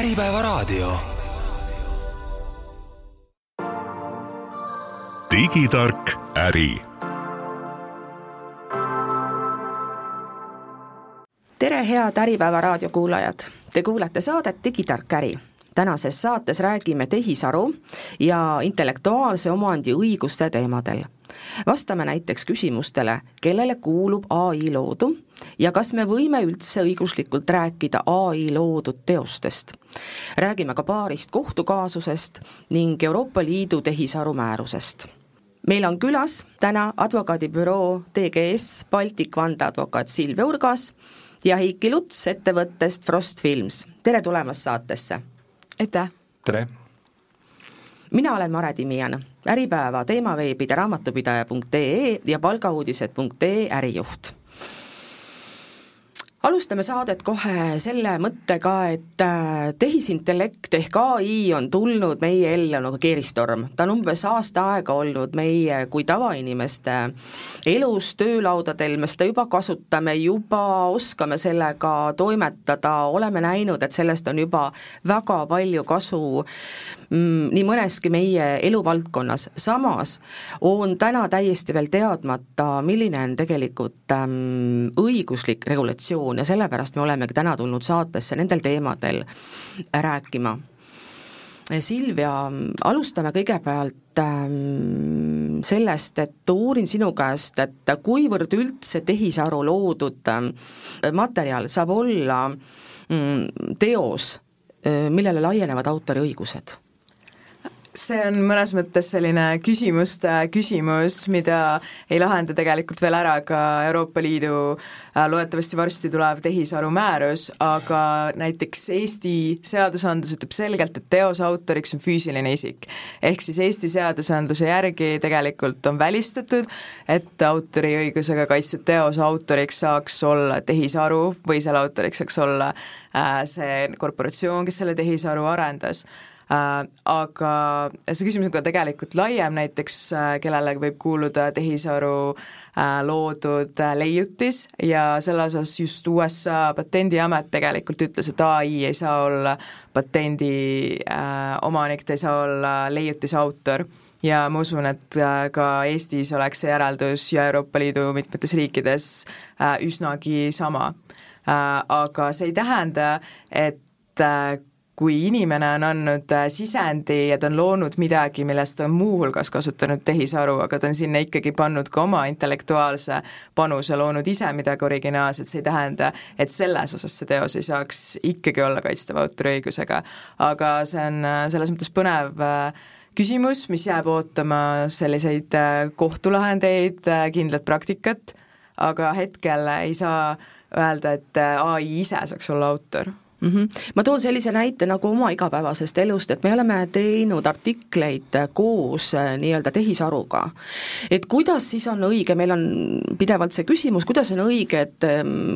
Äripäevaraadio. Digitark äri. Tere, head Äripäevaraadio kuulajad! Te kuulate saadet Digitark äri. Tänases saates räägime tehisaru ja intellektuaalse omandi õiguste teemadel. Vastame näiteks küsimustele, kellele kuulub AI loodu ja kas me võime üldse õiguslikult rääkida AI loodud teostest. Räägime ka paarist kohtukaasusest ning Euroopa Liidu tehisaru määrusest. Meil on külas täna advokaadibüroo TGS Baltic vandeadvokaat Silvia Urgas ja Heiki Luts ettevõttest Frost Films. Tere tulemast saatesse! Aitäh! Tere! Mina olen Mare Timian, Äripäeva teemaveebide raamatupidaja.ee ja palgauudised.ee ärijuht. Alustame saadet kohe selle mõttega, et tehisintellekt ehk AI on tulnud meie ellu nagu keeristorm. Ta on umbes aasta aega olnud meie kui tavainimeste elus, töölaudadel, me seda juba kasutame, juba oskame sellega toimetada, oleme näinud, et sellest on juba väga palju kasu nii mõneski meie eluvaldkonnas. Samas on täna täiesti veel teadmata, milline on tegelikult õiguslik regulatsioon ja sellepärast me olemegi täna tulnud saatesse nendel teemadel rääkima. Silvia, alustame kõigepealt sellest, et uurin sinu käest, et kuivõrd üldse tehisaru loodud materjal saab olla teos, millele laienevad autoriõigused? See on mõnes mõttes selline küsimus, mida ei lahenda tegelikult veel ära ka Euroopa Liidu loodetavasti varsti tulev tehisaru määrus, aga näiteks Eesti seadusandlus ütleb selgelt, et teose autoriks on füüsiline isik. Ehk siis Eesti seadusandluse järgi tegelikult on välistatud, et autoriõigusega kaitstud teose autoriks saaks olla tehisaru või selle autoriks saaks olla see korporatsioon, kes selle tehisaru arendas. Aga see küsimus on ka tegelikult laiem, näiteks kellele võib kuuluda tehisaru loodud leiutis ja selle osas just USA patendiamet tegelikult ütles, et AI ei saa olla patendi omanik, ta ei saa olla leiutise autor ja ma usun, et ka Eestis oleks see järeldus ja Euroopa Liidu mitmetes riikides üsnagi sama. Aga see ei tähenda, et kui inimene on andnud sisendi ja ta on loonud midagi, millest on muuhulgas kasutanud tehisaru, aga ta on sinna ikkagi pannud ka oma intellektuaalse panuse, loonud ise midagi originaalset, see ei tähenda, et selles osas see teos ei saaks ikkagi olla kaitstav autoriõigusega. Aga see on selles mõttes põnev küsimus, mis jääb ootama selliseid kohtulahendeid, kindlat praktikat, aga hetkel ei saa öelda, et AI ise saaks olla autor. Ma toon sellise näite nagu oma igapäevasest elust, et me oleme teinud artikleid koos nii-öelda tehisaruga. Et kuidas siis on õige, meil on pidevalt see küsimus, kuidas on õige, et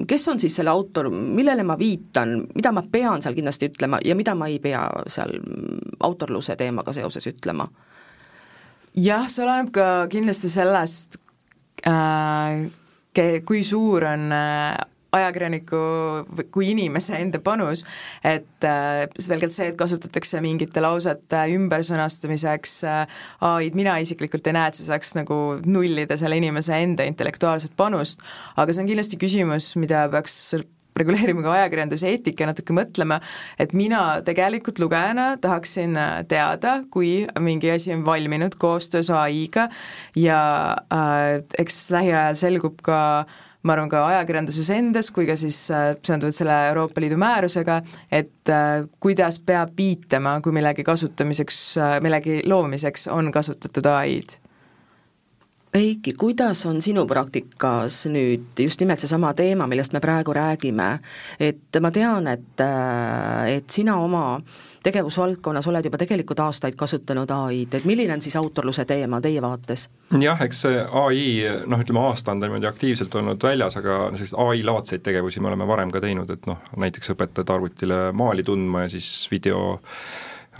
kes on siis selle autor, millele ma viitan, mida ma pean seal kindlasti ütlema ja mida ma ei pea seal autorluse teemaga seoses ütlema? Jah, see oleneb ka kindlasti sellest, kui suur on ajakirjaniku kui inimese enda panus, et selgelt see, et kasutatakse mingite lausete ümbersõnastamiseks AI-d, mina isiklikult ei näe, et see saaks nagu nullida selle inimese enda intellektuaalset panust, aga see on kindlasti küsimus, mida peaks reguleerima ka ajakirjanduse eetika natuke mõtlema, et mina tegelikult lugejana tahaksin teada, kui mingi asi on valminud koostöös AI-ga ja eks lähiajal selgub ka ma arvan ka ajakirjanduses endas, kui ka siis seonduvalt selle Euroopa Liidu määrusega, et kuidas peab viitama, kui millegi kasutamiseks, millegi loomiseks on kasutatud AI-d. Heiki, kuidas on sinu praktikas nüüd just nimelt seesama teema, millest me praegu räägime, et ma tean, et sina oma tegevusvaldkonnas oled juba tegelikult aastaid kasutanud AI-d, et milline on siis autorluse teema teie vaates? Jah, eks see AI, ütleme aasta on niimoodi aktiivselt olnud väljas, aga AI-laadseid tegevusi me oleme varem ka teinud, et näiteks õpetad arvutile maali tundma ja siis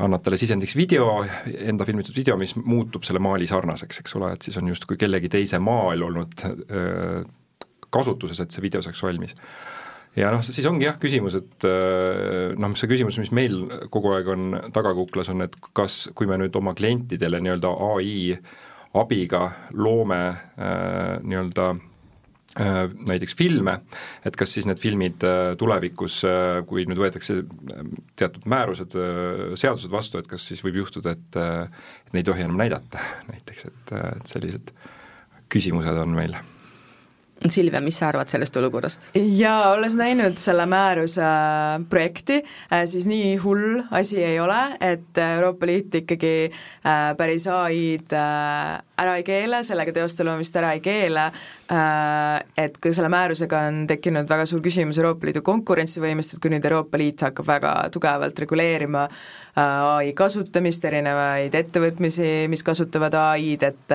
annad talle sisendiks video, enda filmitud video, mis muutub selle maali sarnaseks, eks ole, et siis on justkui kellegi teise maal olnud kasutuses, et see video saaks valmis. ja siis ongi küsimus, et see küsimus, mis meil kogu aeg on tagakuklas, on, et kas, kui me nüüd oma klientidele nii-öelda AI abiga loome näiteks filme, et kas siis need filmid tulevikus, kui nüüd võetakse teatud määrused, seadused vastu, et kas siis võib juhtuda, et neid ei tohi enam näidata näiteks, et sellised küsimused on meil. Silvia, mis sa arvad sellest olukorrast? Jaa, olles näinud selle määruse projekti, siis nii hull asi ei ole, et Euroopa Liit ikkagi päris AI-d ära ei keele, sellega teoste loomist ära ei keele, et kui selle määrusega on tekkinud väga suur küsimus Euroopa Liidu konkurentsivõimest, et kui nüüd Euroopa Liit hakkab väga tugevalt reguleerima AI kasutamist, erinevaid ettevõtmisi, mis kasutavad AI-d, et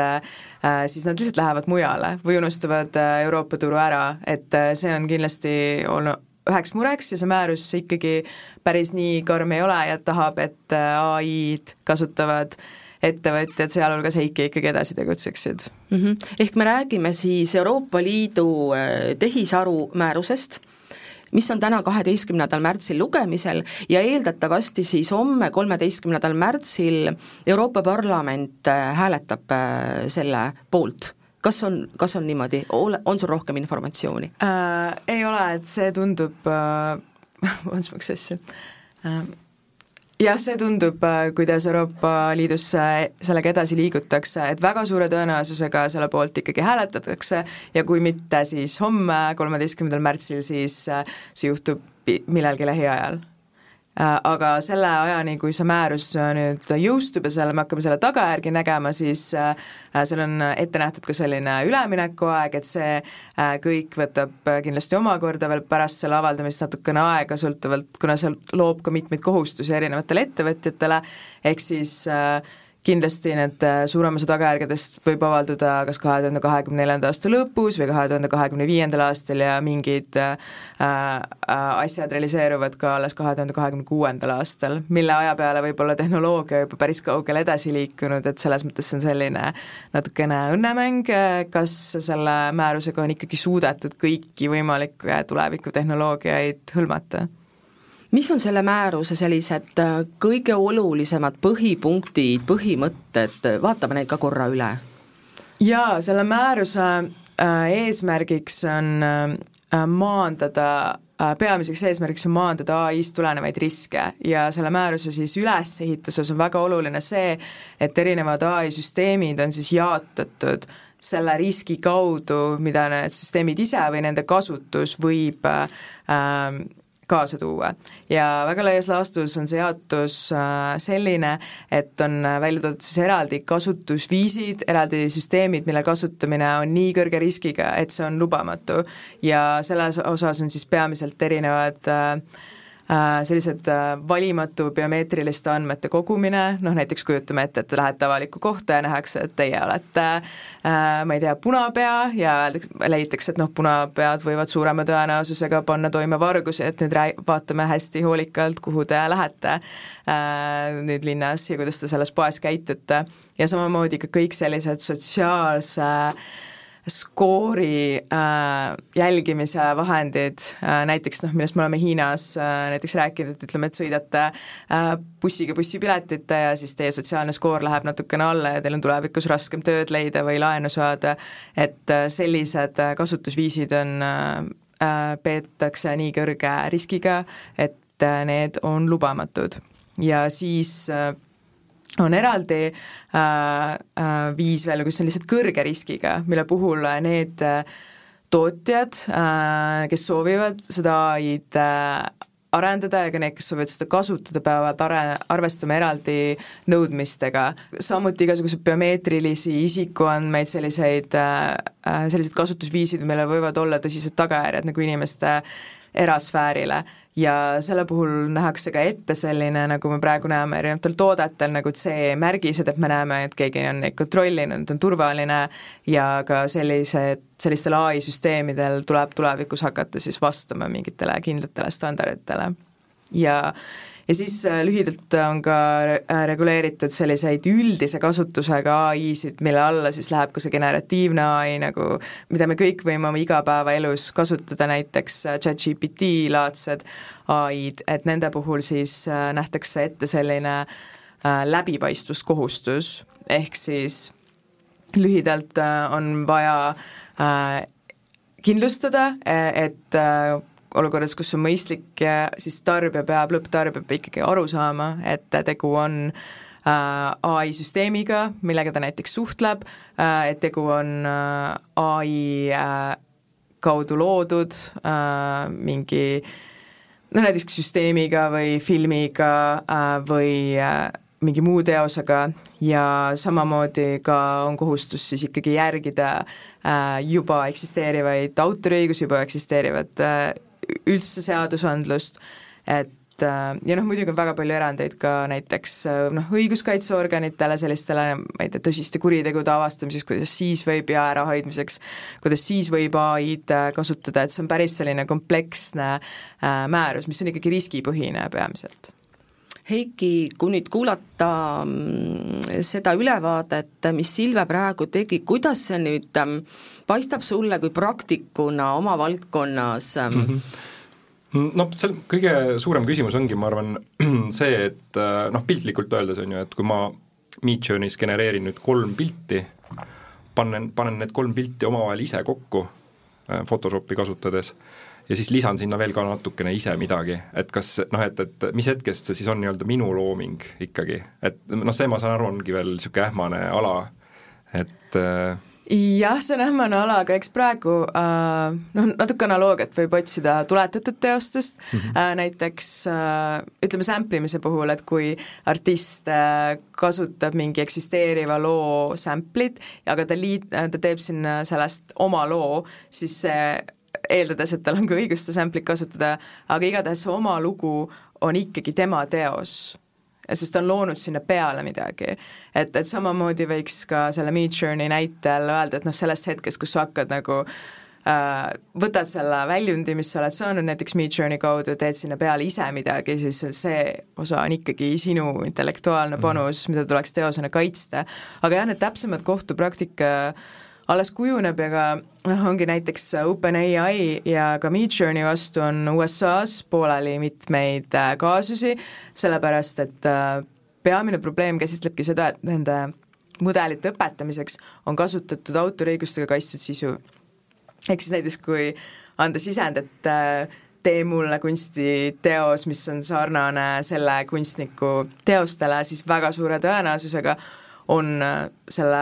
siis nad lihtsalt lähevad mujale või unustavad Euroopa turu ära, et see on kindlasti olnud üheks mureks ja see määrus ikkagi päris nii karm ei ole ja tahab, et AI-d kasutavad ettevõtjad, sealhulgas Heiki ikkagi edasi tegutseksid. Ehk me räägime siis Euroopa Liidu tehisaru määrusest, mis on täna 12. märtsil lugemisel ja eeldatavasti siis homme 13. märtsil Euroopa Parlament hääletab selle poolt. Kas on niimoodi? On sul rohkem informatsiooni? Ei ole, et see tundub jah, see tundub, kuidas Euroopa Liidus sellega edasi liigutakse, et väga suure tõenäosusega selle poolt ikkagi hääletatakse ja kui mitte, siis homme, 13. märtsil, siis see juhtub millalgi lähiajal. Aga selle ajani, kui see määrus nüüd jõustub ja me hakkame selle tagajärgi nägema, siis seal on ette nähtud ka selline üleminekuaeg, et see kõik võtab kindlasti omakorda veel pärast selle avaldamist natukene aega, sõltuvalt, kuna see loob ka mitmeid kohustusi erinevatele ettevõtjatele, ehk siis kindlasti need suurem osa tagajärgedest võib avalduda kas 2024. aasta lõpus või 2025. aastal ja mingid asjad realiseeruvad ka alles 2026. aastal, mille aja peale võib olla tehnoloogia juba päris kaugele edasi liikunud, et selles mõttes on selline natukene õnnemäng, kas selle määrusega on ikkagi suudetud kõiki võimalikke tulevikutehnoloogiaid hõlmata. Mis on selle määruse sellised kõige olulisemad põhipunktid, põhimõtted, vaatame neid ka korra üle? Jaa, selle määruse eesmärgiks on peamiseks eesmärgiks on maandada AI-st tulenevaid riske ja selle määruse siis ülesehituses on väga oluline see, et erinevad AI-süsteemid on siis jaotatud selle riski kaudu, mida need süsteemid ise või nende kasutus võib kaasa tuua. Ja väga laias laastus on see jaotus selline, et on välja toodud siis eraldi kasutusviisid, eraldi süsteemid, mille kasutamine on nii kõrge riskiga, et see on lubamatu ja selles osas on siis peamiselt erinevad sellised valimatu biomeetriliste andmete kogumine, näiteks kujutame ette, et te lähete avalikku kohta ja nähakse, et teie olete, ma ei tea, punapea ja leitakse, et punapead võivad suurema tõenäosusega panna toime vargusi, et nüüd vaatame hästi hoolikalt, kuhu te lähete nüüd linnas ja kuidas te selles poes käitute ja samamoodi ka kõik sellised sotsiaalse skoori jälgimise vahendid, näiteks millest me oleme Hiinas näiteks rääkinud, et ütleme, et sõidate bussiga bussipiletite ja siis teie sotsiaalne skoor läheb natukene alla ja teil on tulevikus raskem tööd leida või laenu saada, et sellised kasutusviisid peetakse nii kõrge riskiga, et need on lubamatud ja siis on eraldi viis veel, kus on lihtsalt kõrge riskiga, mille puhul need tootjad, kes soovivad seda AI-d arendada ja ka need, kes soovivad seda kasutada, peavad arvestama eraldi nõudmistega. Samuti igasugused biomeetrilisi isikuandmeid, sellised kasutusviisid, millel võivad olla tõsised tagajärjed nagu inimeste erasfäärile ja selle puhul nähakse ka ette selline, nagu me praegu näeme erinevatel toodetel, nagu CE-märgised, et me näeme, et keegi on neid kontrollinud, on turvaline ja ka sellistel AI-süsteemidel tuleb tulevikus hakata siis vastama mingitele kindlatele standarditele. ja siis lühidalt on ka reguleeritud selliseid üldise kasutusega AI-sid, mille alla siis läheb ka see generatiivne AI, nagu, mida me kõik võime oma igapäevaelus kasutada, näiteks ChatGPT-laadsed AI-d, et nende puhul siis nähtakse ette selline läbipaistvuskohustus, ehk siis lühidalt on vaja kindlustada, et olukorras, kus on mõistlik, siis lõpptarbija peab ikkagi aru saama, et tegu on AI-süsteemiga, millega ta näiteks suhtleb, et tegu on AI kaudu loodud mingi näiteks süsteemiga või filmiga või mingi muu teosega ja samamoodi ka on kohustus siis ikkagi järgida juba eksisteerivaid autoriõigusi, juba eksisteerivat üldse seadusandlust, et ja muidugi on väga palju erandeid ka näiteks õiguskaitseorganitele, sellistele, ma ei tea, tõsiste kuritegude avastamiseks, kuidas siis võib ja ärahoidmiseks, kuidas siis võib AI-d kasutada, et see on päris selline kompleksne määrus, mis on ikkagi riskipõhine peamiselt. Heiki, kui nüüd kuulata seda ülevaadet, mis Silve praegu tegi, kuidas see nüüd paistab sulle kui praktikuna oma valdkonnas? No see kõige suurem küsimus ongi, ma arvan, see, et piltlikult öeldes on ju, et kui ma Midjourneys genereerin nüüd 3 pilti, panen need 3 pilti omavahel ise kokku Photoshopi kasutades ja siis lisan sinna veel ka natukene ise midagi, et kas, et mis hetkest see siis on nii-öelda minu looming ikkagi, et see ma saan aru, ongi veel niisugune ähmane ala, et jah, see on ähmane ala, aga eks praegu natuke analoogiat võib otsida tuletatud teostest, näiteks ütleme samplimise puhul, et kui artist kasutab mingi eksisteeriva loo samplit, aga ta teeb sinna sellest oma loo, siis see eeldades, et tal on ka õigust samplit kasutada, aga igatahes see oma lugu on ikkagi tema teos, sest ta on loonud sinna peale midagi. Et samamoodi võiks ka selle Midjourney näitel öelda, et sellest hetkest, kus sa hakkad nagu võtad selle väljundi, mis sa oled saanud näiteks Midjourney kaudu, teed sinna peale ise midagi, siis see osa on ikkagi sinu intellektuaalne panus, mida tuleks teosena kaitsta. Aga jah, need täpsemad kohtupraktika alles kujuneb ja ka ongi näiteks OpenAI ja ka Midjourney vastu on USA-s pooleli mitmeid kaasusi, sellepärast et peamine probleem käsitlebki seda, et nende mudelite õpetamiseks on kasutatud autoriõigustega kaitstud sisu. Ehk siis näiteks kui anda sisend, et tee mulle kunstiteos, mis on sarnane selle kunstniku teostele, siis väga suure tõenäosusega on selle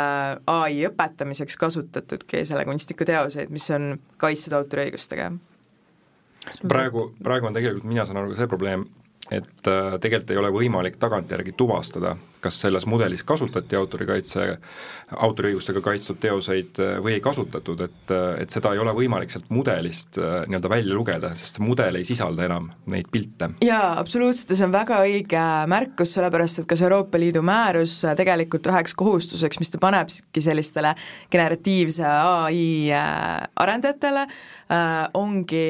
AI õpetamiseks kasutatudki selle kunstniku teoseid, mis on kaitstud autoriõigustega. Praegu on tegelikult, mina saan aru ka see probleem, et tegelikult ei ole võimalik tagantjärgi tuvastada, kas selles mudelis kasutati autoriõigustega kaitstud teoseid või ei kasutatud, et seda ei ole võimalik sealt mudelist nii-öelda välja lugeda, sest see mudel ei sisalda enam neid pilte. Jaa, absoluutselt, see on väga õige märkus, sellepärast et kas Euroopa Liidu määrus tegelikult üheks kohustuseks, mis ta panebki sellistele generatiivse AI arendajatele, ongi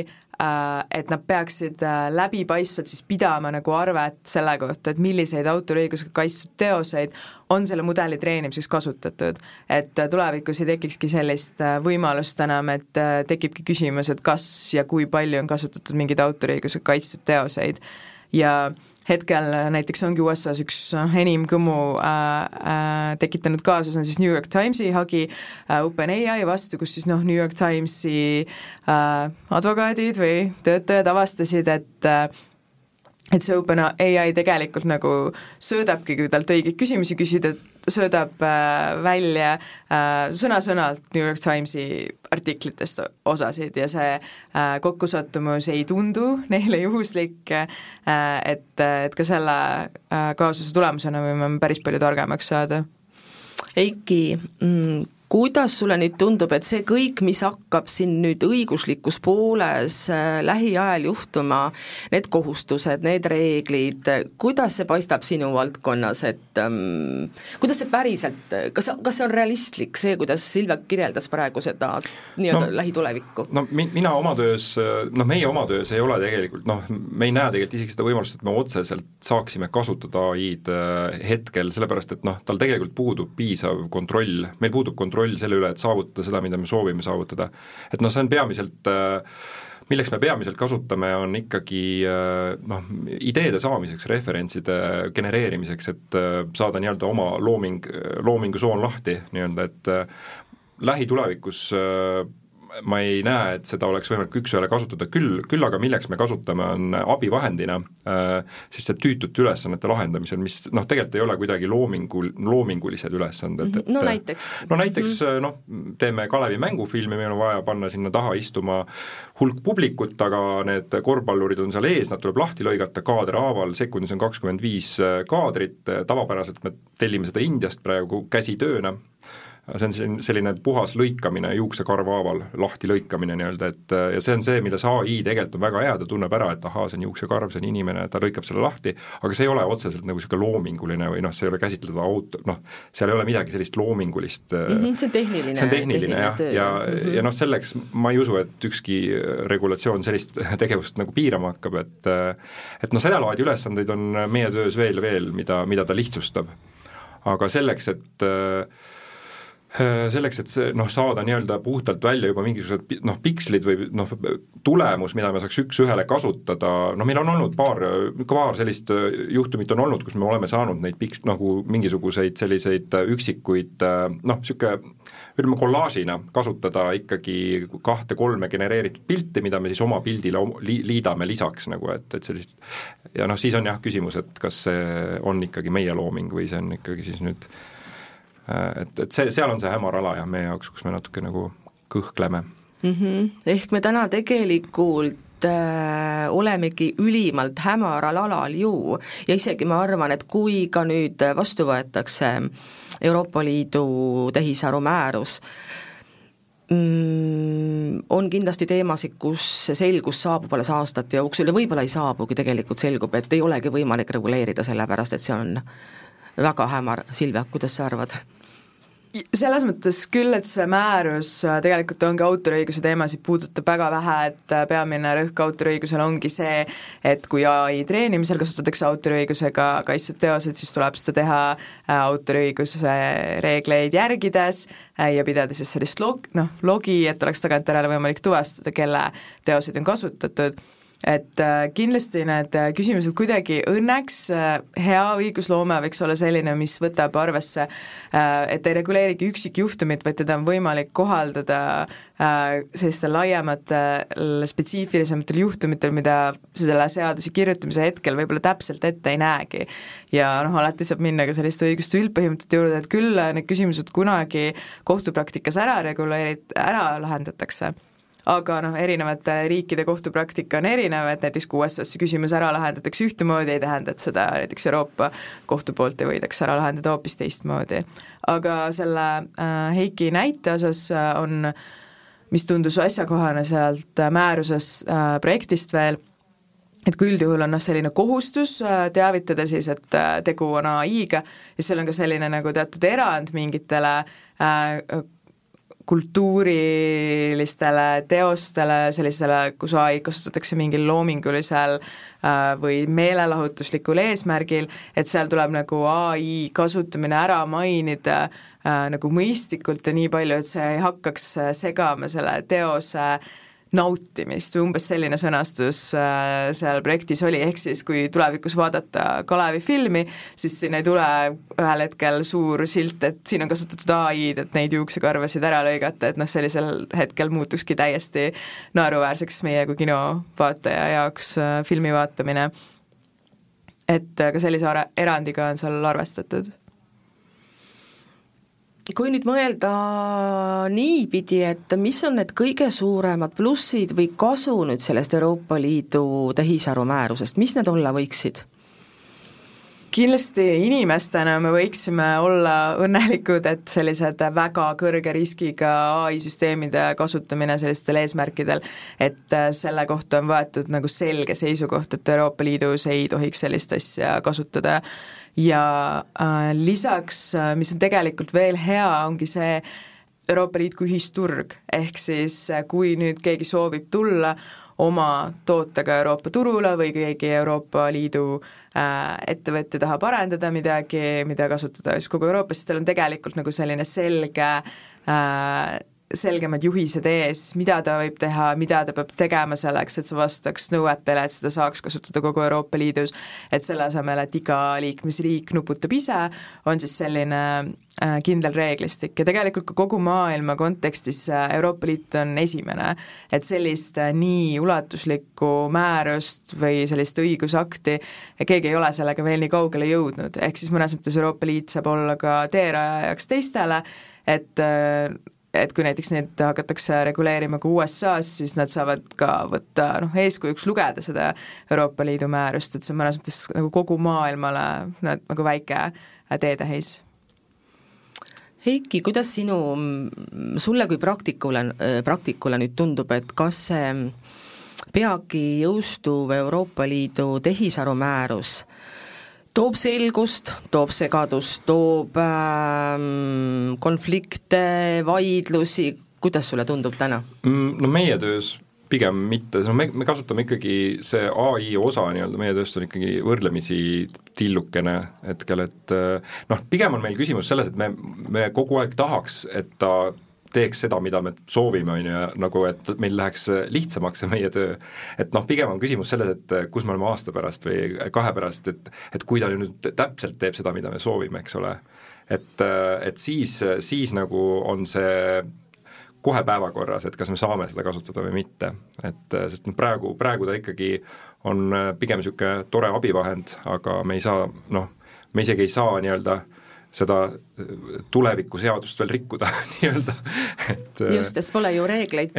et nad peaksid läbipaistvalt siis pidama nagu arvet selle kohta, et milliseid autoriõigusega kaitstud teoseid on selle mudeli treenimiseks kasutatud. Et tulevikus ei tekikski sellist võimalust enam, et tekibki küsimus, et kas ja kui palju on kasutatud mingeid autoriõigusega kaitstud teoseid ja hetkel näiteks ongi USA-s üks enim kõmu tekitanud kaasus on siis New York Timesi hagi OpenAI vastu, kus siis New York Timesi advokaadid või töötajad avastasid, et see OpenAI tegelikult nagu söödabki, kui talt õigeid küsimusi küsida, söödab välja sõna-sõnalt New York Timesi artiklitest osasid ja see kokkusattumus ei tundu neile juhuslik, et ka selle kaasuse tulemusena võime päris palju targemaks saada. Eiki, kuidas sulle nüüd tundub, et see kõik, mis hakkab siin nüüd õiguslikus pooles lähiajal juhtuma, need kohustused, need reeglid, kuidas see paistab sinu valdkonnas, et kuidas see päriselt, kas see on realistlik, see, kuidas Silvia kirjeldas praegu seda nii-öelda lähitulevikku? No mina oma töös, meie oma töös ei ole tegelikult, me ei näe tegelikult isegi seda võimalust, et me otseselt saaksime kasutada AI-d hetkel, sellepärast et tal tegelikult puudub piisav kontroll, meil puudub kontroll selle üle, et saavutada seda, mida me soovime saavutada. Et see on peamiselt, milleks me peamiselt kasutame, on ikkagi ideede saamiseks, referentside genereerimiseks, et saada nii-öelda oma loomingusoon lahti nii-öelda, et lähitulevikus ma ei näe, et seda oleks võimalik üks-ühele kasutada, küll aga milleks me kasutame, on abivahendina, siis see tüütute ülesannete lahendamisel, mis tegelikult ei ole kuidagi loomingulised ülesanded. Näiteks teeme Kalevi mängufilmi, meil on vaja panna sinna taha istuma hulk publikut, aga need korvpallurid on seal ees, nad tuleb lahti lõigata kaaderhaaval, sekundis on 25 kaadrit, tavapäraselt me tellime seda Indiast praegu käsitööna, see on selline puhas lõikamine juuksekarvhaaval, lahti lõikamine nii-öelda, et ja see on see, milles AI tegelikult on väga hea, ta tunneb ära, et see on juuksekarv, see on inimene, ta lõikab selle lahti, aga see ei ole otseselt nagu selline loominguline või see ei ole käsitleda seal ei ole midagi sellist loomingulist. See on tehniline töö. Ja selleks ma ei usu, et ükski regulatsioon sellist tegevust nagu piirama hakkab, et seda laadi ülesandeid on meie töös veel, mida ta lihtsustab. Aga selleks, et see saada nii-öelda puhtalt välja juba mingisugused pikslid või tulemus, mida me saaks üks-ühele kasutada, meil on olnud paar sellist juhtumit on olnud, kus me oleme saanud neid mingisuguseid selliseid üksikuid, ütleme kollaažina kasutada ikkagi 2-3 genereeritud pilti, mida me siis oma pildile liidame lisaks et sellist, ja siis on küsimus, et kas see on ikkagi meie looming või see on ikkagi siis nüüd et seal on see hämar ala ja meie jaoks, kus me natuke nagu kõhkleme. Ehk me täna tegelikult olemegi ülimalt hämaral alal ju ja isegi ma arvan, et kui ka nüüd vastu võetakse Euroopa Liidu tehisaru määrus, on kindlasti teemasid, kus selgus saabub alles aastate jooksul ja võib-olla ei saabugi, tegelikult selgub, et ei olegi võimalik reguleerida sellepärast, et see on väga hämar. Silvia, kuidas sa arvad? Selles mõttes küll, et see määrus tegelikult ongi autoriõiguse teemasid puudutab väga vähe, et peamine rõhk autoriõigusel ongi see, et kui AI treenimisel kasutatakse autoriõigusega kaitstud teosed, siis tuleb seda teha autoriõiguse reegleid järgides ja pidada siis sellist logi, et oleks tagantjärele võimalik tuvastada, kelle teoseid on kasutatud. Et kindlasti need küsimused kuidagi õnneks hea õigusloome võiks olla selline, mis võtab arvesse, et ei reguleerigi üksikjuhtumit, vaid teda on võimalik kohaldada sellistel laiematel, spetsiifilisematel juhtumitel, mida selle seaduse kirjutamise hetkel võib-olla täpselt ette ei näegi. Ja alati saab minna ka selliste õiguste üldpõhimõtete juurde, et küll need küsimused kunagi kohtupraktikas ära lahendatakse. Aga erinevate riikide kohtupraktika on erinev, et näiteks kui USA-sse küsimus ära lahendatakse ühtemoodi, ei tähenda, et seda näiteks Euroopa kohtu poolt ei võidaks ära lahendada hoopis teistmoodi. Aga selle Heiki näite osas on, mis tundus asjakohane sealt määruses projektist veel, et kui üldjuhul on selline kohustus teavitada siis, et tegu on AI-ga, ja seal on ka selline nagu teatud erand mingitele kultuurilistele teostele, sellisele, kus AI kasutatakse mingil loomingulisel või meelelahutuslikul eesmärgil, et seal tuleb nagu AI kasutamine ära mainida nagu mõistlikult ja nii palju, et see ei hakkaks segama selle teose nautimist või umbes selline sõnastus seal projektis oli, ehk siis kui tulevikus vaadata Kalevi filmi, siis siin ei tule ühel hetkel suur silt, et siin on kasutatud AI-d, et neid juuksekarvasid ära lõigata, et sellisel hetkel muutukski täiesti naeruväärseks meie kui kinovaataja jaoks filmi vaatamine. Et ka sellise erandiga on seal arvestatud. Kui nüüd mõelda niipidi, et mis on need kõige suuremad plussid või kasu nüüd sellest Euroopa Liidu tehisaru määrusest, mis need olla võiksid? kindlasti inimestena me võiksime olla õnnelikud, et sellised väga kõrge riskiga AI-süsteemide kasutamine sellistel eesmärkidel, et selle kohta on võetud nagu selge seisukoht, et Euroopa Liidus ei tohiks sellist asja kasutada. Ja lisaks, mis on tegelikult veel hea, ongi see Euroopa Liit kui ühisturg, ehk siis kui nüüd keegi soovib tulla oma tootega Euroopa turule või keegi Euroopa Liidu ettevõtja tahab arendada midagi, mida kasutada siis kogu Euroopas, siis tal on tegelikult nagu selline selgemad juhised ees, mida ta võib teha, mida ta peab tegema selleks, et see vastaks nõuetele, et seda saaks kasutada kogu Euroopa Liidus, et selle asemel, et iga liikmesriik nuputab ise, on siis selline kindel reeglistik ja tegelikult ka kogu maailma kontekstis Euroopa Liit on esimene, et sellist nii ulatuslikku määrust või sellist õigusakti keegi ei ole sellega veel nii kaugele jõudnud, ehk siis mõnes mõttes Euroopa Liit saab olla ka teerajajaks teistele, et kui näiteks neid hakatakse reguleerima ka USA-s, siis nad saavad ka võtta eeskujuks lugeda seda Euroopa Liidu määrust, et see on mõnes mõttes nagu kogu maailmale nagu väike teetähis. Heiki, kuidas sulle kui praktikule nüüd tundub, et kas see peagi jõustuv Euroopa Liidu tehisarumäärus toob selgust, toob segadust, toob konflikte, vaidlusi, kuidas sulle tundub täna? No meie töös pigem mitte, me kasutame ikkagi see AI osa nii-öelda, meie tööst on ikkagi võrdlemisi tillukene hetkel, et pigem on meil küsimus selles, et me kogu aeg tahaks, et ta teeks seda, mida me soovime, on ju, nagu et meil läheks lihtsamaks see meie töö. Et pigem on küsimus selles, et kus me oleme aasta pärast või 2 pärast, et kui ta nüüd täpselt teeb seda, mida me soovime, eks ole. Et siis nagu on see kohe päevakorras, et kas me saame seda kasutada või mitte. Sest praegu ta ikkagi on pigem niisugune tore abivahend, aga me ei saa, me isegi ei saa nii-öelda seda tuleviku seadust veel rikkuda nii-öelda. Just, sest pole ju reegleid,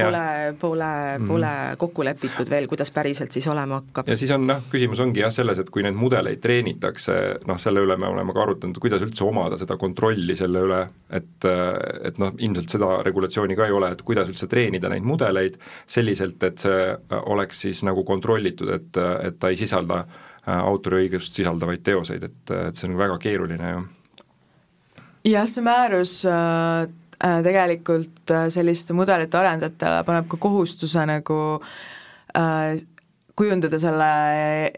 pole kokku lepitud veel, kuidas päriselt siis olema hakkab. Ja siis on küsimus ongi selles, et kui neid mudeleid treenitakse, selle üle me oleme ka arutanud, kuidas üldse omada seda kontrolli selle üle, et ilmselt seda regulatsiooni ka ei ole, et kuidas üldse treenida neid mudeleid selliselt, et see oleks siis nagu kontrollitud, et ta ei sisalda autoriõigust sisaldavaid teoseid, et see on väga keeruline ju. Jah, see määrus tegelikult selliste mudelite arendajatele paneb ka kohustuse nagu kujundada selle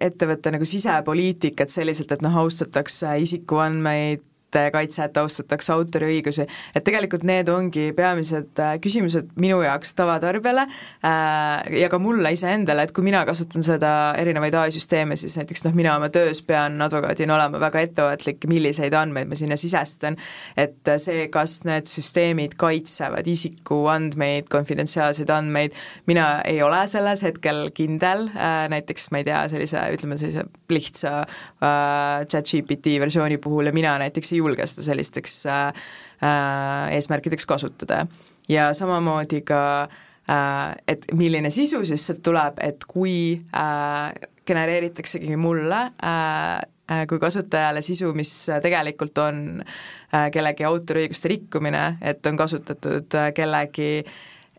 ettevõtte nagu sisepoliitikat selliselt, et austatakse isikuandmeid, kaitset, austatakse autoriõigusi, et tegelikult need ongi peamised küsimused minu jaoks tavatarbijale ja ka mulle iseendale, et kui mina kasutan seda erinevaid AI-süsteeme, siis näiteks mina oma töös pean advokaadina olema väga ettevaatlik, milliseid andmeid ma sinna sisestan, et see, kas need süsteemid kaitsevad isikuandmeid, konfidentsiaalseid andmeid, mina ei ole selles hetkel kindel, näiteks ma ei tea, sellise lihtsa ChatGPT versiooni puhul ja mina näiteks ei julge seda sellisteks eesmärkideks kasutada. Ja samamoodi ka, et milline sisu siis sealt tuleb, et kui genereeritaksegi mulle kui kasutajale sisu, mis tegelikult on kellegi autoriõiguste rikkumine, et on kasutatud kellegi,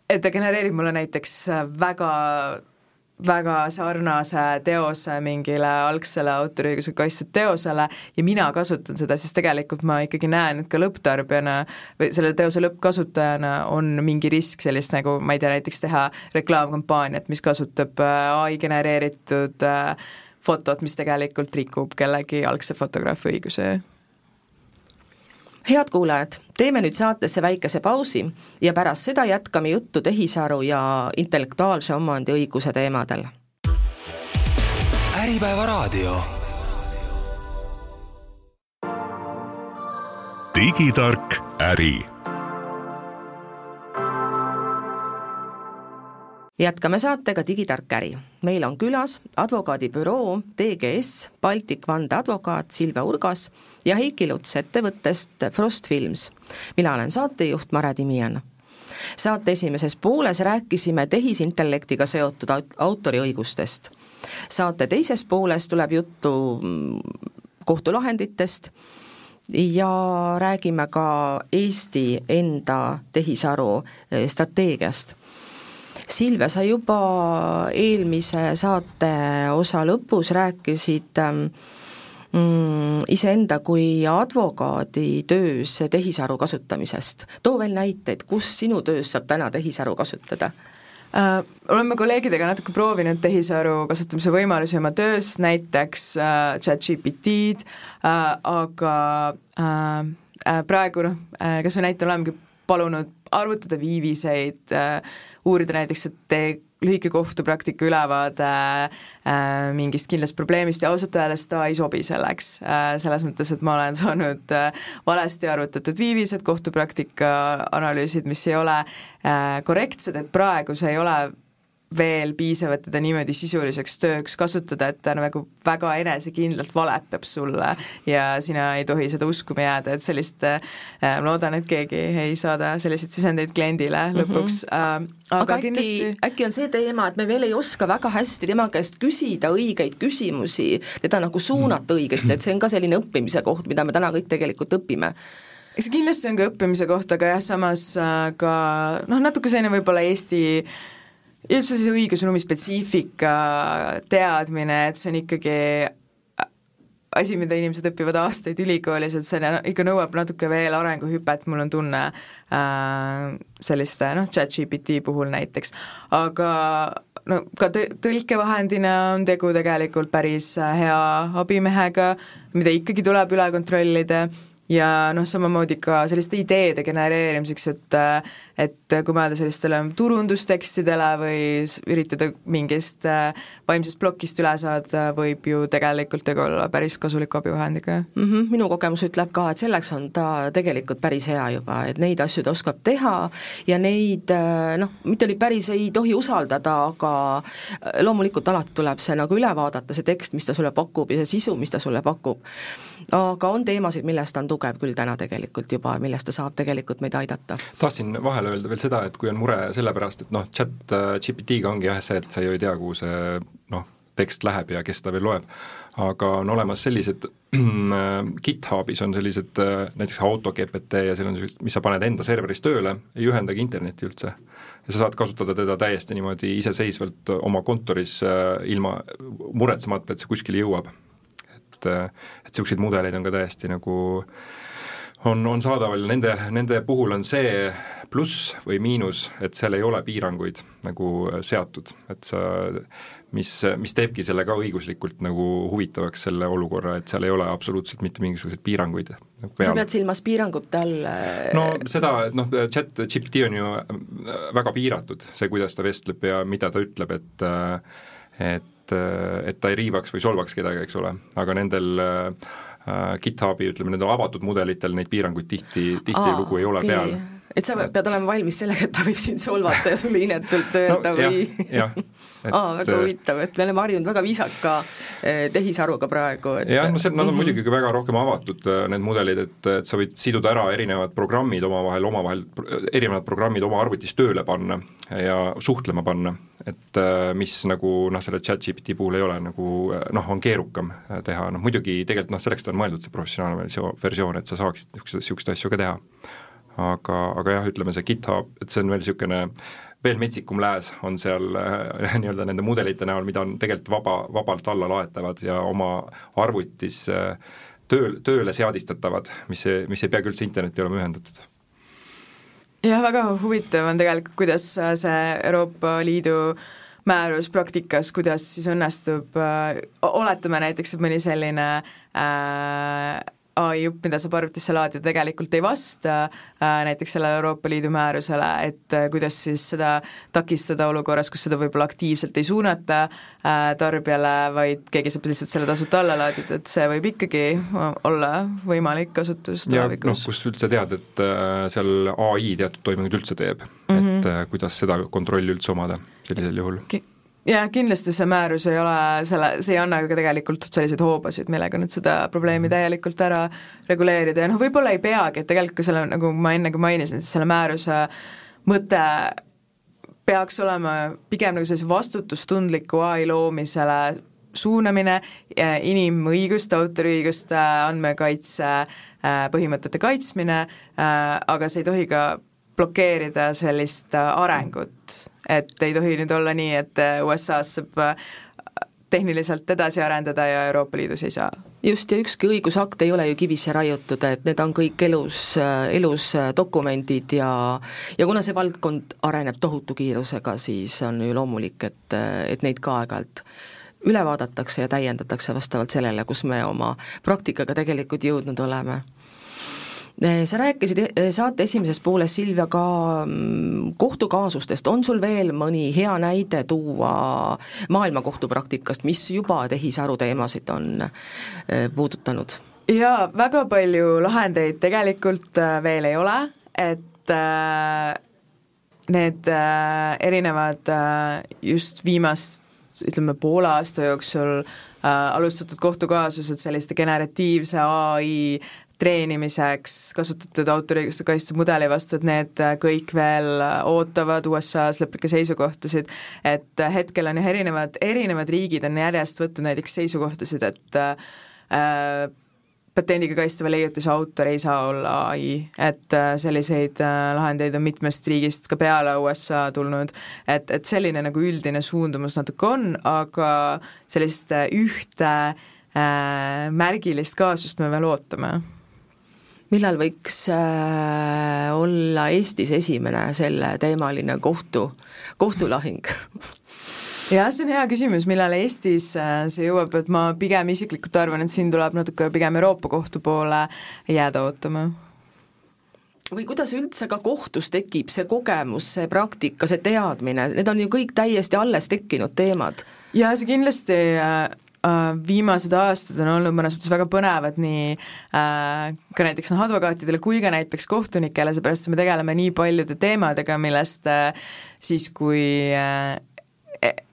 et ta genereerib mulle näiteks väga sarnase teose mingile algsele autoriõiguse kaitstud teosele ja mina kasutan seda, siis tegelikult ma ikkagi näen, et ka lõpptarbijana või selle teose lõppkasutajana on mingi risk sellist nagu, ma ei tea, näiteks teha reklaamkampaaniat, mis kasutab AI genereeritud fotot, mis tegelikult rikub kellegi algse fotograafi õiguse. Head kuulajad, teeme nüüd saatesse väikese pausi ja pärast seda jätkame juttu tehisaru ja intellektuaalse omandi õiguse teemadel. Äripäeva raadio. Digitark äri. Jätkame saatega Digitark äri. Meil on külas advokaadibüroo TGS Baltic vandeadvokaat Silve Urgas ja Heiki Luts ettevõttest Frost Films. Mina olen saatejuht Mare Timian. Saate esimeses pooles rääkisime tehisintellektiga seotud autoriõigustest. Saate teises pooles tuleb juttu kohtulahenditest ja räägime ka Eesti enda tehisaru strateegiast. Silvia, sa juba eelmise saate osa lõpus rääkisid iseenda kui advokaadi töös tehisaru kasutamisest. Too veel näiteid, kus sinu töös saab täna tehisaru kasutada? Oleme kolleegidega natuke proovinud tehisaru kasutamise võimalusi oma töös, näiteks ChatGPT-d, aga praegu kas või näitel olemegi palunud arvutada viiviseid, uurida näiteks, et tee lühike kohtupraktika ülevaade mingist kindlast probleemist ja ausalt öeldes ta ei sobi selleks, selles mõttes, et ma olen saanud valesti arvutatud viivised, kohtupraktika analüüsid, mis ei ole korrektsed, et praegu see ei ole veel piisav, et teda niimoodi sisuliseks tööks kasutada, et ta nagu väga enesekindlalt valetab sulle ja sina ei tohi seda uskuma jääda, et sellist, ma loodan, et keegi ei saada selliseid sisendeid kliendile lõpuks. Aga äkki on see teema, et me veel ei oska väga hästi tema käest küsida õigeid küsimusi, teda nagu suunata õigesti, et see on ka selline õppimise koht, mida me täna kõik tegelikult õpime. Eks kindlasti on ka õppimise koht, aga jah, samas ka natuke selline võib-olla Eesti üldse see õigusruumi spetsiifika teadmine, et see on ikkagi asi, mida inimesed õpivad aastaid ülikoolis, et see ikka nõuab natuke veel arenguhüpet, mul on tunne selliste ChatGPT puhul näiteks, aga ka tõlkevahendina on tegu tegelikult päris hea abimehega, mida ikkagi tuleb üle kontrollida ja samamoodi ka selliste ideede genereerimiseks, et kui mõelda sellistele turundustekstidele või üritada mingist vaimsest plokist üle saada, võib ju tegelikult tegu olla päris kasuliku abivahendiga. Minu kogemus ütleb ka, et selleks on ta tegelikult päris hea juba, et neid asju ta oskab teha ja neid, mitte oli päris ei tohi usaldada, aga loomulikult alati tuleb see nagu üle vaadata, see tekst, mis ta sulle pakub ja see sisu, mis ta sulle pakub. Aga on teemasid, millest ta on tugev küll täna tegelikult juba, millest ta saab tegelikult meid aidata. Tahtsin vahele öelda veel seda, et kui on mure sellepärast, et ChatGPT-ga ongi jah see, et sa ju ei tea, kuhu see tekst läheb ja kes ta veel loeb, aga on olemas sellised GitHubis on sellised näiteks AutoGPT ja seal on sellised, mis sa paned enda serveris tööle, ei ühendagi internetti üldse. Ja sa saad kasutada teda täiesti niimoodi iseseisvalt oma kontoris ilma muretsemata, et see kuskile jõuab. Et selliseid mudeleid on ka täiesti nagu on saadaval, nende puhul on see pluss või miinus, et seal ei ole piiranguid nagu seatud, et sa, mis teebki selle ka õiguslikult nagu huvitavaks selle olukorra, et seal ei ole absoluutselt mitte mingisuguseid piiranguid nagu peal. Sa pead silmas piirangute all? No seda, et ChatGPT on ju väga piiratud, see, kuidas ta vestleb ja mida ta ütleb, et ta ei riivaks või solvaks kedagi, eks ole, aga nendel GitHubi, ütleme, nendel avatud mudelitel neid piiranguid tihti lugu ei ole peal. Et sa pead olema valmis sellega, et ta võib sind solvata ja sulle inetult öelda või... Jah. Väga huvitav, et me oleme harjunud väga viisaka tehisaruga praegu. Jah, nad on muidugi väga rohkem avatud, need mudelid, et sa võid siduda ära erinevad programmid omavahel, erinevad programmid oma arvutis tööle panna ja suhtlema panna, et mis nagu selle ChatGPT puhul ei ole, nagu on keerukam teha, muidugi tegelikult selleks ta on mõeldud see professionaalne versioon, et sa saaksid niisugust asju ka teha. Aga jah, ütleme see GitHub, et see on veel niisugune veel metsikum lääs on seal nii-öelda nende mudelite näol, mida on tegelikult vabalt alla laetavad ja oma arvutis tööle seadistatavad, mis ei pea üldse internetti olema ühendatud. Jah, väga huvitav on tegelikult, kuidas see Euroopa Liidu määrus praktikas, kuidas siis õnnestub, oletame näiteks, et mõni selline AI-jupp, mida saab arvutisse laadida, tegelikult ei vasta näiteks sellele Euroopa Liidu määrusele, et kuidas siis seda takistada olukorras, kus seda võib-olla aktiivselt ei suunata tarbijale, vaid keegi saab lihtsalt selle tasuta alla laadida, et see võib ikkagi olla võimalik kasutus tulevikus. Kus üldse tead, et seal AI teatud toimingud üldse teeb, et kuidas seda kontrolli üldse omada sellisel juhul. Ja kindlasti see määrus ei ole, see ei anna ka tegelikult selliseid hoobasid, millega nüüd seda probleemi täielikult ära reguleerida ja võib-olla ei peagi, et tegelikult selle, nagu ma ennegi mainisin, selle määruse mõte peaks olema pigem nagu sellise vastutustundliku AI loomisele suunamine, inimõiguste, autoriõiguste, andmekaitse põhimõtete kaitsmine, aga see ei tohi ka blokeerida sellist arengut, et ei tohi nüüd olla nii, et USA-s saab tehniliselt edasi arendada ja Euroopa Liidus ei saa. Just, ja ükski õigusakt ei ole ju kivisse raiutud, et need on kõik elus dokumendid ja kuna see valdkond areneb tohutu kiirusega, siis on ju loomulik, et neid ka aeg-ajalt üle vaadatakse ja täiendatakse vastavalt sellele, kus me oma praktikaga tegelikult jõudnud oleme. Sa rääkisid saate esimeses pooles, Silvia, ka kohtukaasustest. On sul veel mõni hea näide tuua maailmakohtu praktikast, mis juba tehisaru teemasid on puudutanud? Jaa, väga palju lahendeid tegelikult veel ei ole, et need erinevad just viimast, ütleme, poole aasta jooksul alustatud kohtukaasused selliste generatiivse AI treenimiseks kasutatud autoriõiguste kaitstud mudeli vastu, et need kõik veel ootavad USA-s lõplikke seisukohtasid, et hetkel on erinevad riigid on järjest võtnud näiteks seisukohtasid, et patendiga kaitstava leiutise autor ei saa olla AI, et selliseid lahendeid on mitmest riigist ka peale USA tulnud, et selline nagu üldine suundumus natuke on, aga sellist ühte märgilist kaasust me veel ootame. Millal võiks olla Eestis esimene selle teemaline kohtulahing? Jah, see on hea küsimus, millal Eestis see jõuab, et ma pigem isiklikult arvan, et siin tuleb natuke pigem Euroopa kohtu poole jääda ootama. Või kuidas üldse ka kohtus tekib see kogemus, see praktika, see teadmine, need on ju kõik täiesti alles tekkinud teemad. Ja see kindlasti viimased aastad on olnud mõnes mõttes väga põnevad nii ka näiteks advokaatidele kui ka näiteks kohtunikele, seepärast me tegeleme nii paljude teemadega, millest siis kui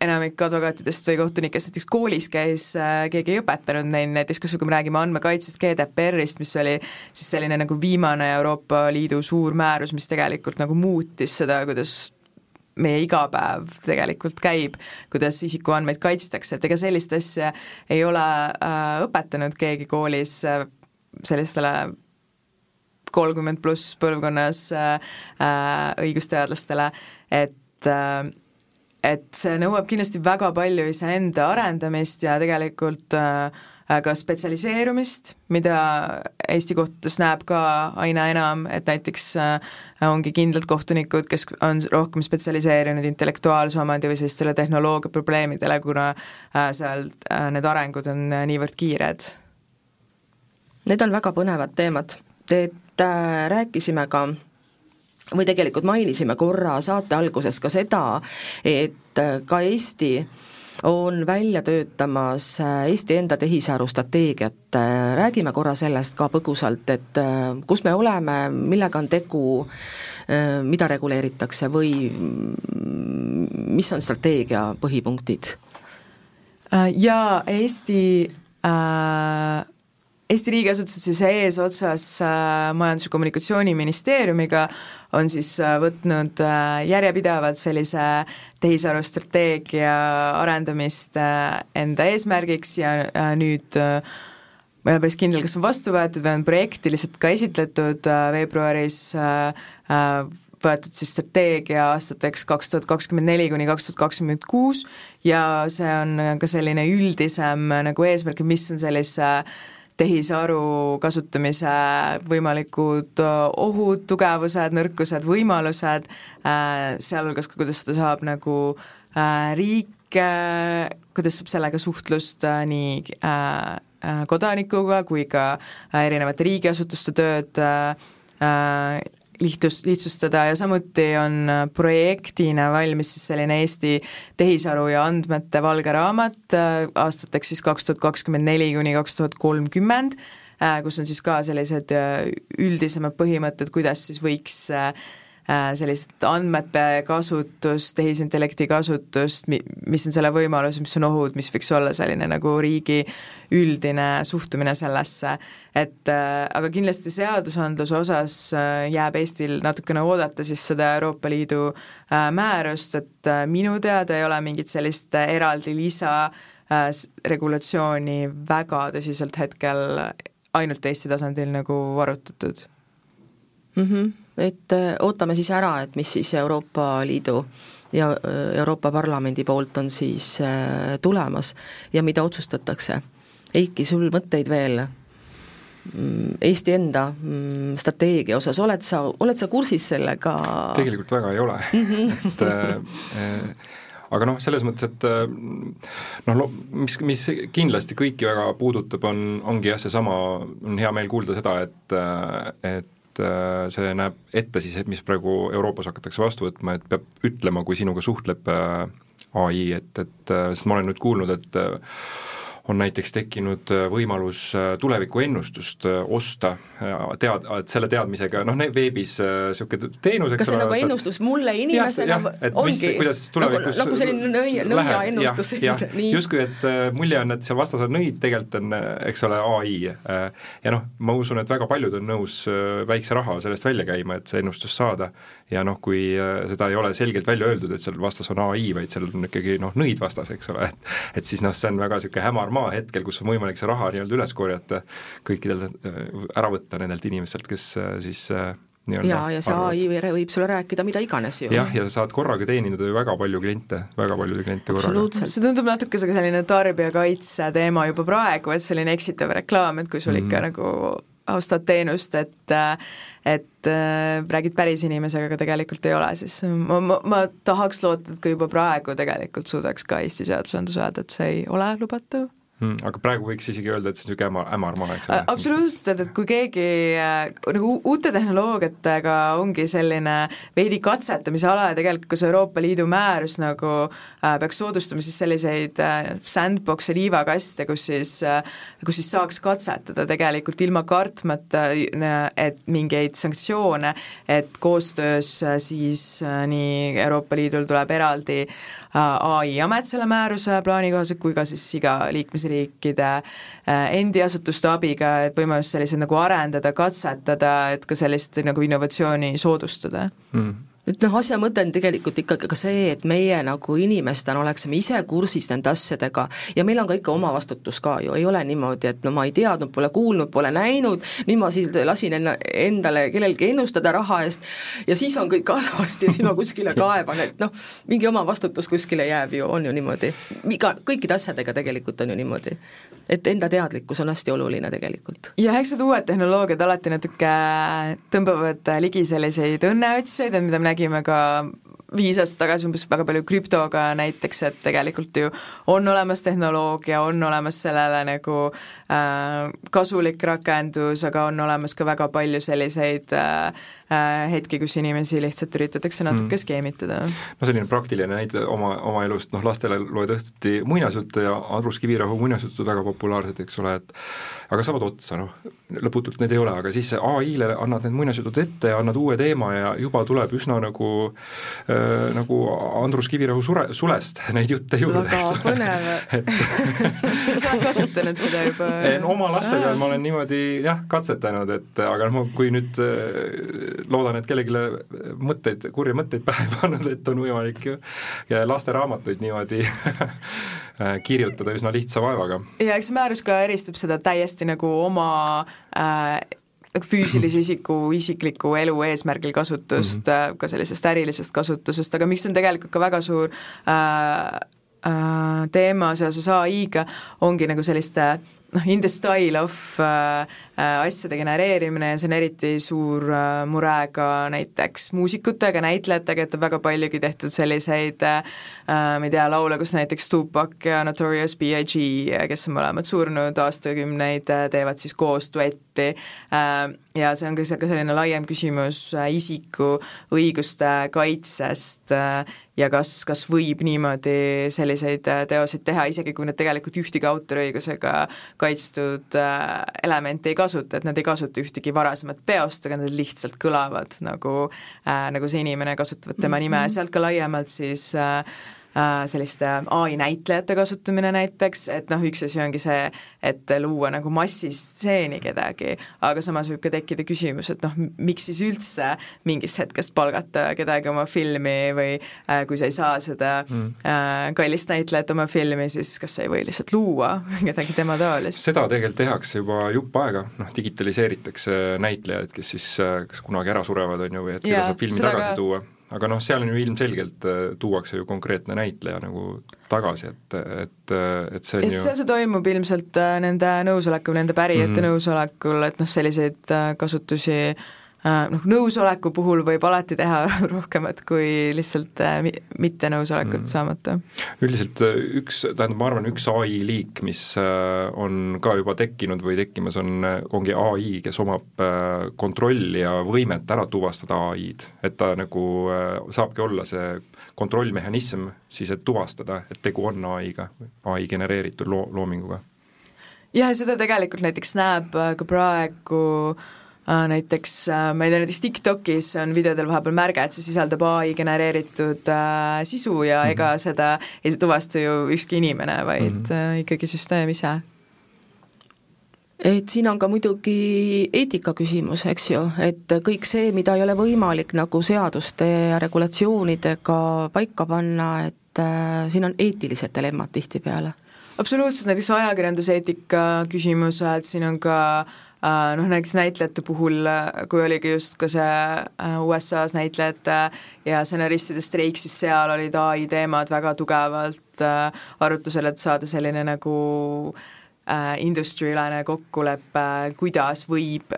enamik advokaatidest või kohtunikest näiteks koolis käis, keegi ei õpetanud neid, näiteks kui me räägime andmekaitsest, GDPR-ist, mis oli siis selline nagu viimane Euroopa Liidu suur määrus, mis tegelikult nagu muutis seda, kuidas meie igapäev tegelikult käib, kuidas isikuandmeid kaitstakse, et ega sellist asja ei ole õpetanud keegi koolis sellistele 30 pluss põlvkonnas õigusteadlastele, et see nõuab kindlasti väga palju iseenda arendamist ja tegelikult ka spetsialiseerumist, mida Eesti kohtutes näeb ka aina enam, et näiteks ongi kindlad kohtunikud, kes on rohkem spetsialiseerinud intellektuaalse omandi või sellistele tehnoloogia probleemidele, kuna seal need arengud on niivõrd kiired. Need on väga põnevad teemad. Rääkisime ka või tegelikult mainisime korra saate alguses ka seda, et ka Eesti on välja töötamas Eesti enda tehisaru strateegiat. Räägime korra sellest ka põgusalt, et kus me oleme, millega on tegu, mida reguleeritakse või mis on strateegia põhipunktid? Ja Eesti riigiasutused siis eesotsas Majandus- ja Kommunikatsiooniministeeriumiga on siis võtnud järjepidevalt sellise tehisaru strateegia arendamist enda eesmärgiks ja nüüd ma ei ole päris kindel, kas on vastu võetud või on projektiliselt ka esitletud veebruaris võetud siis strateegia aastateks 2024 kuni 2026 ja see on ka selline üldisem nagu eesmärk, mis on sellise tehisaru kasutamise võimalikud ohud, tugevused, nõrkused, võimalused, sealhulgas ka kuidas seda saab nagu riik, kuidas saab sellega suhtlust nii kodanikuga kui ka erinevate riigiasutuste tööd lihtsustada ja samuti on projektina valmis siis selline Eesti tehisaru ja andmete valge raamat aastateks siis 2024 kuni 2030, kus on siis ka sellised üldisemad põhimõtted, kuidas siis võiks sellist andmete kasutust, tehisintellekti kasutust, mis on selle võimalus, mis on ohud, mis võiks olla selline nagu riigi üldine suhtumine sellesse, et aga kindlasti seadusandluse osas jääb Eestil natukene oodata siis seda Euroopa Liidu määrust, et minu teada ei ole mingit sellist eraldi lisa regulatsiooni väga tõsiselt hetkel ainult Eesti tasandil nagu arutatud. Et ootame siis ära, et mis siis Euroopa Liidu ja Euroopa Parlamendi poolt on siis tulemas ja mida otsustatakse. Eiki, sul mõtteid veel Eesti enda strateegia osas, oled sa kursis sellega? Tegelikult väga ei ole, et aga selles mõttes, et mis kindlasti kõiki väga puudutab, ongi jah, seesama, on hea meel kuulda seda, et see näeb ette siis, mis praegu Euroopas hakatakse vastu võtma, et peab ütlema, kui sinuga suhtleb AI, sest ma olen nüüd kuulnud, et on näiteks tekkinud võimalus tulevikuennustust osta, et selle teadmisega, veebis niisugune teenus, kas see nagu ennustus mulle inimesena ongi? Kuidas tulevikus nagu selline nõia ennustus. Justkui, et mulje on, et seal vastas on nõid, tegelikult on, eks ole, AI. Ja ma usun, et väga paljud on nõus väikse raha sellest välja käima, et see ennustus saada. Ja kui seda ei ole selgelt välja öeldud, et seal vastas on AI, vaid seal on ikkagi nõid vastas, eks ole, et siis see on väga niisugune hämar maa hetkel, kus on võimalik see raha nii-öelda üles korjata, kõikidel ära võtta nendelt inimestelt, kes siis ja see AI võib sulle rääkida mida iganes ju. Jah, ja sa saad korraga teenida väga palju kliente korraga. See tundub natuke selline tarbijakaitse teema juba praegu, et selline eksitav reklaam, et kui sul ikka nagu austad teenust, et räägid päris inimesega, aga tegelikult ei ole, siis ma tahaks loota, et kui juba praegu tegelikult suudaks ka Eesti seadusandlus öelda, et see ei ole lubatav. Aga praegu võiks isegi öelda, et see on niisugune hämar maa, eks ole? Absoluutselt, et kui keegi nagu uute tehnoloogiatega ongi selline veidi katsetamise ala ja tegelikult kus Euroopa Liidu määrus nagu peaks soodustama siis selliseid sandbox'e liivakaste, kus siis saaks katsetada tegelikult ilma kartmata, et mingeid sanktsioone, et koostöös siis nii Euroopa Liidul tuleb eraldi AI-amet selle määruse plaani kohaselt, kui ka siis iga liikmesriikide endi asutuste abiga, et võimalus sellised nagu arendada, katsetada, et ka sellist nagu innovatsiooni soodustada. Et asja mõte on tegelikult ikkagi ka see, et meie nagu inimestena oleksime ise kursis nende asjadega ja meil on ka ikka oma vastutus ka ju, ei ole niimoodi, et ma ei teadnud, pole kuulnud, pole näinud, nüüd ma siis lasin endale kellelgi ennustada raha eest ja siis on kõik halvasti ja siis ma kuskile kaeban, et mingi oma vastutus kuskile jääb ju, on ju niimoodi. Kõikide asjadega tegelikult on ju niimoodi, et enda teadlikkus on hästi oluline tegelikult. Ja eks need uued tehnoloogiad alati natuke tõmbavad ligi selliseid õnneotsaid, mida me nägime ka 5 aastat tagasi umbes väga palju krüptoga näiteks, et tegelikult ju on olemas tehnoloogia, on olemas sellele nagu kasulik rakendus, aga on olemas ka väga palju selliseid hetki, kus inimesi lihtsalt üritatakse natuke skeemitada. Selline praktiline näide oma elust, lastele loed õhtuti muinasjuttu ja Andrus Kivirähu muinasjuttu väga populaarsed, eks ole, et aga saavad otsa, lõputult need ei ole, aga siis AI-le annad need muinasjutud ette ja annad uue teema ja juba tuleb üsna nagu Andrus Kivirähu sulest neid jutte juurde. Väga põnev. Sa oled kasutanud seda juba? Oma laste peal ma olen niimoodi katsetanud, aga kui nüüd loodan, et kellegile kurja mõtteid pähe pannud, et on võimalik ja lasteraamatuid niimoodi kirjutada üsna lihtsa vaevaga. Ja eks määrus ka eristab seda täiesti nagu oma füüsilise isiku isikliku elu eesmärgil kasutust, ka sellisest ärilisest kasutusest, aga miks on tegelikult ka väga suur teema seoses AI-ga, ongi nagu selliste in the style of asjade genereerimine ja see on eriti suur mure ka näiteks muusikutega, näitlejatega, et on väga paljugi tehtud selliseid ma ei tea, laule, kus näiteks Tupac ja Notorious B.I.G., kes on mõlemad surnud aastakümneid, teevad siis koos duetti ja see on ka selline laiem küsimus isiku õiguste kaitsest ja kas võib niimoodi selliseid teoseid teha, isegi kui nad tegelikult ühtegi autoriõigusega kaitstud elementi ei kasuta, et nad ei kasuta ühtegi varasemat peost, aga nad lihtsalt kõlavad nagu see inimene kasutavad tema nime ja sealt ka laiemalt siis selliste AI näitlejate kasutamine näiteks, et noh, üks asi ongi see, et luua nagu massistseeni kedagi, aga samas võib ka tekkida küsimus, et noh, miks siis üldse mingist hetkest palgata kedagi oma filmi või kui sa ei saa seda kallist näitlejat oma filmi, siis kas sa ei või lihtsalt luua kedagi tema taolist? Seda tegelikult tehakse juba jupp aega, noh, digitaliseeritakse näitlejaid, kes siis kas kunagi ära surevad, on ju, või et keda saab filmi tagasi tuua. Aga noh, seal on ju ilmselgelt tuuakse ju konkreetne näitleja nagu tagasi, et see on ju... See toimub ilmselt nende nõusolekul, nende pärijate nõusolekul, et noh, selliseid kasutusi noh, nõusoleku puhul võib alati teha rohkemat kui lihtsalt mitte nõusolekut saamata. Üldiselt ma arvan, üks AI liik, mis on ka juba tekkinud või tekkimas, ongi AI, kes omab kontrolli ja võimet ära tuvastada AI-d, et ta nagu saabki olla see kontrollmehhanism siis, et tuvastada, et tegu on AI-ga, AI genereeritud loominguga. Ja seda tegelikult näiteks näeb ka praegu näiteks, ma ei tea, näiteks TikTokis on videodel vahepeal märge, et see sisaldab AI genereeritud sisu ja ega seda ei tuvasta ju ükski inimene, vaid ikkagi süsteem ise. Et siin on ka muidugi eetika küsimus, eks ju, et kõik see, mida ei ole võimalik nagu seaduste ja regulatsioonidega paika panna, et siin on eetilised dilemmad tihtipeale. Absoluutselt, näiteks ajakirjanduseetika küsimused, siin on ka noh, näiteks näitlejate puhul, kui oligi just ka see USA-s näitlejate ja stsenaristide streik, siis seal olid AI teemad väga tugevalt arutusel, et saada selline nagu industry-ülene kokkulepe, kuidas võib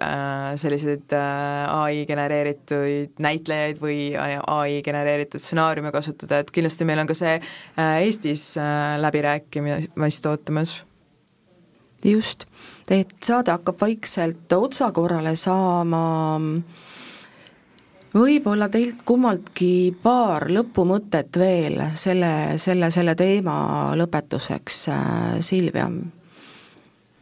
selliseid AI genereeritud näitlejaid või AI genereeritud stsenaariume kasutada, et kindlasti meil on ka see Eestis läbirääkimist ootamas. Just, et saade hakkab vaikselt otsakorrale saama, võib-olla teilt kummaltki paar lõpumõtet veel selle teema lõpetuseks, Silvia.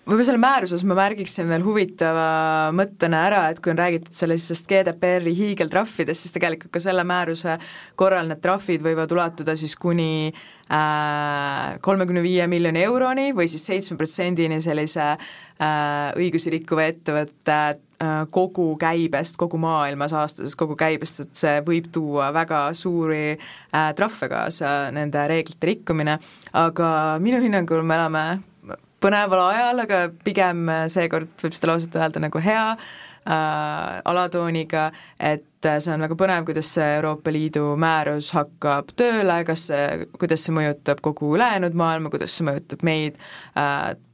Võib-olla selle määruses ma märgiksin veel huvitava mõttena ära, et kui on räägitud sellisest GDPR-i hiigeltrahvidest, siis tegelikult ka selle määruse korral need trahvid võivad ulatuda siis kuni 35 miljoni euroni või siis 7% sellise õigusi rikkuva ettevõtte kogu käibest, kogu maailmas aastases kogu käibest, et see võib tuua väga suuri trahve kaasa nende reeglite rikkumine, aga minu hinnangul me elame põneval ajal, aga pigem seekord võib seda lauset öelda nagu hea alatooniga, et see on väga põnev, kuidas see Euroopa Liidu määrus hakkab tööle, kuidas see mõjutab kogu ülejäänud maailma, kuidas see mõjutab meid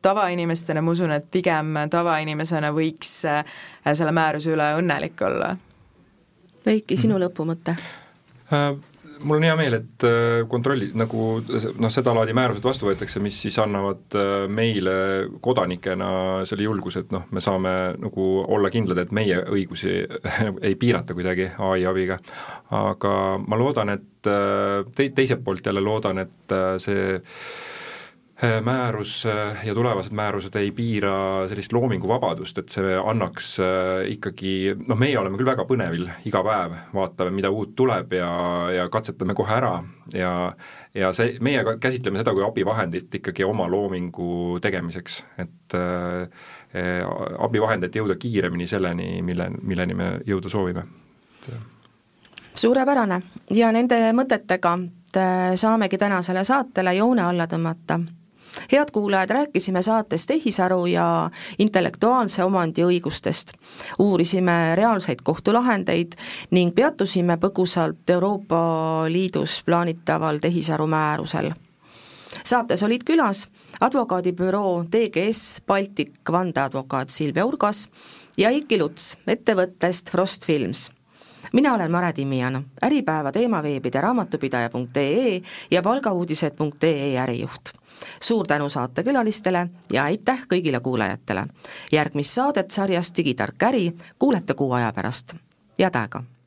tavainimestena, ma usun, et pigem tavainimesena võiks selle määruse üle õnnelik olla. Veiki, sinu lõpumõte? Mul on hea meel, et kontrolli, nagu seda laadi määrused vastu võetakse, mis siis annavad meile kodanikena selle julguse, et me saame nagu olla kindlad, et meie õigusi ei piirata kuidagi AI abiga. Aga ma loodan, et teiselt poolt jälle loodan, et see määrus ja tulevased määrused ei piira sellist loominguvabadust, et see annaks ikkagi, meie oleme küll väga põnevil iga päev, vaatame, mida uut tuleb ja katsetame kohe ära ja meie käsitleme seda kui abivahendit ikkagi oma loomingu tegemiseks, et abivahendit jõuda kiiremini selleni, milleni me jõuda soovime. Suurepärane ja nende mõtetega saamegi tänasele saatele joone alla tõmmata. Head kuulajad, rääkisime saates tehisaru ja intellektuaalse omandi õigustest. Uurisime reaalseid kohtulahendeid ning peatusime põgusalt Euroopa Liidus plaanitaval tehisaru määrusel. Saates olid külas advokaadibüroo TGS Baltic vandeadvokaat Silvia Urgas ja Eiki Luts ettevõttest Frost Films. Mina olen Mare Timian, Äripäeva teemaveebide raamatupidaja.ee ja palgauudised.ee ärijuht. Suur tänu saatekülalistele ja aitäh kõigile kuulajatele. Järgmist saadet sarjast Digitark äri kuulete kuu aja pärast. Head aega!